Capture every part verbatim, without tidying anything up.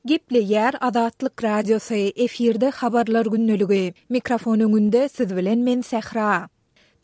Gepleýär Azatlyk Radiosy, efirde Habarlar gündeligi. Mikrofon öňünde siz bilen men Sähra.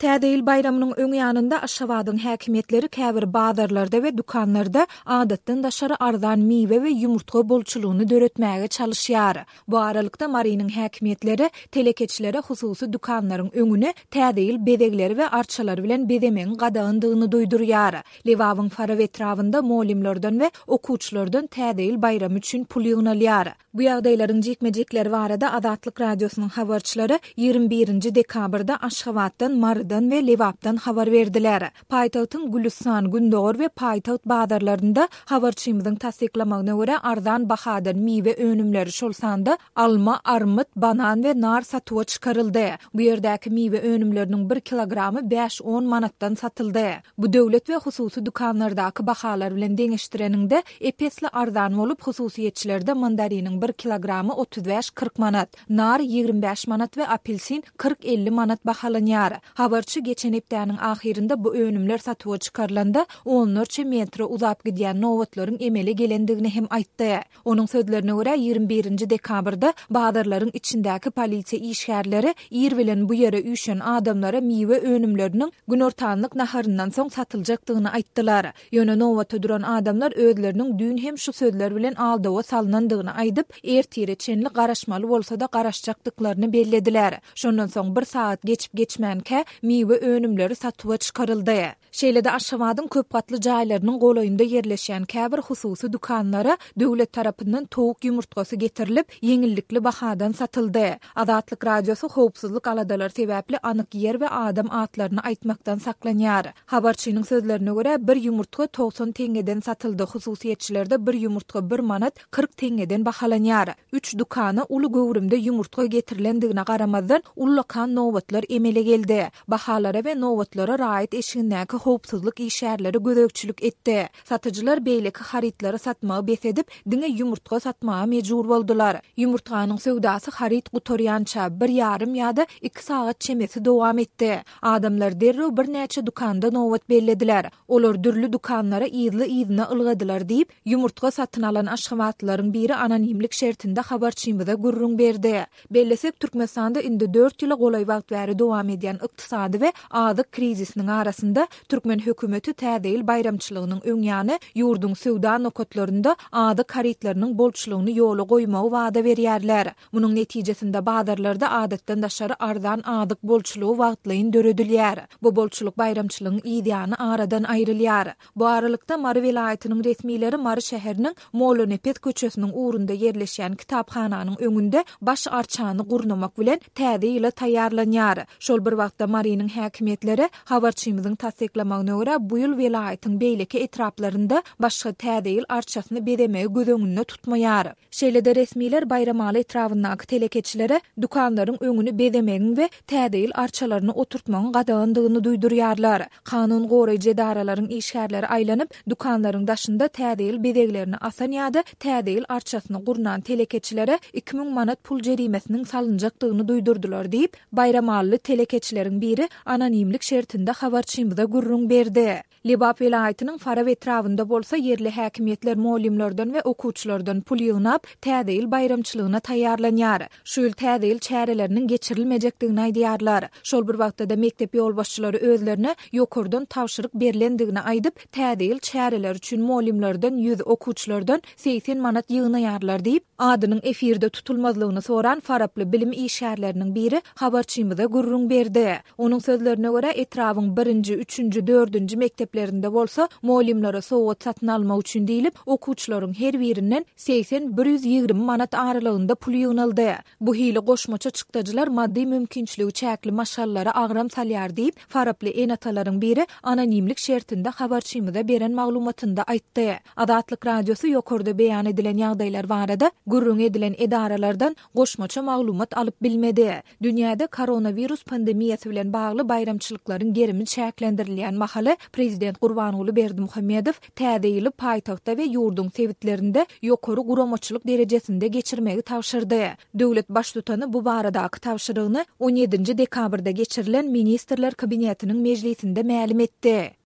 Täze ýyl baýramynyň öň ýanynda Aşgabadyň häkimiýetleri käbir bazarlarda we dükanlarda adatdan daşary arzan miwe we ýumurtga bolçulygyny döretmäge çalyşýar. Bu aralykda Marynyň häkimiýetleri telekeçilere hususy dükanlaryň öňüni Täze ýyl bezegleri we arçalary bilen bezemegiň gadagandygyny duýdurýar. Lebabyň Farap etrabynda mugallymlardan we okuwçylardan Täze ýyl baýramy üçin pul ýygnalýar. Bu ýagdaýlaryň jikme-jikleri barada Azatlyk Radiosynyň habarçylary ýigrimi birinji dekabrda Aşgabatdan, Marydan we Lebapdan habar berdiler. Paýtagtyň Gülüstan, Gündogar we Paýtagt bazarlarynda, habarçymyzyň tassyklamagyna görä, arzan bahadan miwe önümleri, şol sanda alma, armyt, banan we nar satuwa çykaryldy. Bu ýerdäki miwe önümleriniň bir kilogramy bäş-on manatdan satyldy. Bu döwlet we hususy dükanlardaky bahalar bilen deňeşdireniňde, ep-esli arzan bolup, hususyýetçilerde mandariniň bir kilogramy otuz bäş-kyrk manat, nar ýigrimi bäş manat we apelsin kyrk-elli manat bahalanýar. Habarçy geçen hepdäniň ahyrynda bu önümler satuwa çykarylanda, onlarça metre uzap gidýän nobatlaryň emele gelendigini hem aýtdy. Onuň sözlerine görä, ýigrimi birinji dekabrda bazarlaryň içindäki polisiýa işgärleri ir bilen bu ýere üýşen adamlara miwe önümleriniň günortanlyk naharyndan soň satyljakdygyny aýtdylar. Ýöne nobata duran adamlar özleriniň düýn hem şu sözler bilen aldawa salnandygyny aýdyp, ertire çenli garaşmaly bolsa-da garaşjakdyklaryny bellediler. Şondan soň bir sagat geçip-geçmänkä miwe önümleri satuwa çykaryldy. Şeýle-de Aşgabadyň köp gatly jaýlarynyň golaýynda ýerleşýän käbir hususy dükanlara döwlet tarapyndan towuk ýumurtgasy getirilip, ýeňillikli bahadan satyldy. Azatlyk Radiosy howpsuzlyk aladalary sebäpli anyk ýer we adam atlaryny aýtmakdan saklanýar. Habarçynyň sözlerine görä, bir ýumurtga togsan teňňeden satyldy, hususyýetçilerde bir ýumurtga bir manat kyrk teňňeden bahalanýar. Üç dükana uly göwrümde ýumurtga getirilendigine garamazdan, ullakan nobatlar emele geldi. Bahalara we nobatlara raýat eşigindäki howpsuzlyk işgärleri gözegçilik etdi. Satyjylar beýleki harytlary satmagy bes edip, diňe ýumurtga satmaga mejbur boldular. Ýumurtganyň söwdasy haryt gutarýança, bir ýarym ýa-da iki sagat çemesi dowam etdi. Adamlar derrew birnäçe dükanda nobat bellediler. Olar dürli dükanlara yzly-yzyna ylgadylar diýip, ýumurtga satyn alan aşgabatlylaryň biri anonimlik şertinde habarçymyza gürrüň berdi. Bellesek, Türkmenistanda indi dört ýyla golaý wagt bäri dowam edýän ykdysady we azyk krizisiniň arasynda türkmen hökümeti Täze ýyl baýramçylygynyň öň ýany ýurduň söwda nokatlarynda azyk harytlarynyň bolçulygyny ýola goýmagy wada berýärler. Munuň netijesinde bazarlarda adatdan daşary arzan azyk bolçulygy wagtlaýyn döredilýär. Bu bolçulyk baýramçylygyň yz ýany aradan aýrylýar. Bu aralykda, Mary welaýatynyň resmileri Mary şäheriniň Mollanepes köçesiniň ugrunda ýerleşýän kitaphananyň öňünde baş arçany gurnamak bilen Täze ýyla taýýarlanýar. Şol bir wagtda Marynyň häkimiýetleri, habarçymyzyň tassyklamagyna görä, bu ýyl welaýatyň beýleki etraplarynda başga Täze ýyl arçasyny bezemegi göz öňünde tutmaýar. Şeýle-de resmiler Baýramaly etrabyndaky telekeçilere dükanlaryň öňüni bezemegiň we Täze ýyl arçalaryny oturtmagyň gadagandygyny duýdurýarlar. Kanun goraýjy edaralaryň işgärleri aýlanyp, dükanlaryň daşynda Täze ýyl bezeglerini asan ýa-da Täze ýyl arçasyny gurnan telekeçilere iki müň manat pul jerimesiniň salynjakdygyny duýdurdylar diýip, baýramalyly telekeçileriň biri anonimlik şertinde habarçymyza gürrüň berdi. Lebap welaýatynyň Farap etrabynda bolsa ýerli häkimiýetler mugallymlardan we okuwçylardan pul ýygnap, Täze ýyl baýramçylygyna taýýarlanýar. Şu ýyl Täze ýyl çäreleriniň geçirilmejekdigini aýdýarlar. Şol bir wagtda-da mekdep ýolbaşçylary özlerine ýokardan tabşyryk berlendigini aýdyp, Täze ýyl çäreleri üçin mugallymlardan ýüz, okuwçylardan segsen manat ýygnaýarlar diýip, adynyň efirde tutulmazlygyny soran faraply bilim işgärleriniň biri habarçymyza gürrüň berdi. Onuň sözlerine görä, etrabyň birinji, üçünji, dördünji mekdeplerinde bolsa mugallymlara sowgat satyn almak üçin diýlip, okuwçylaryň her birinden segsen, bir ýüz ýigrimi manat aralygynda pul ýygnaldy. Bu hili goşmaça çykdajylar maddy mümkinçiligi çäkli maşgalalara agram salýar diýip, faraply ene-atalaryň biri anonimlik şertinde habarçymyza beren maglumatynda aýtdy. Azatlyk Radiosy ýokarda beýan edilen ýagdaýlar barada gürrüň edilen edaralardan goşmaça maglumat alyp bilmedi. Dünýäde koronawirus pandemiýasy bilen bagly baýramçylyklaryň gerimi çäklendirilýän mahaly, prezident Gurbanguly Berdimuhamedow Täze ýyly paýtagtda we ýurduň sebitlerinde ýokary guramaçylyk derejesinde geçirmegi tabşyrdy. Döwlet Baştutany bu baradaky tabşyrygyny on ýedinji dekabrda geçirilen Ministrler Kabinetiniň mejlisinde mälim etdi.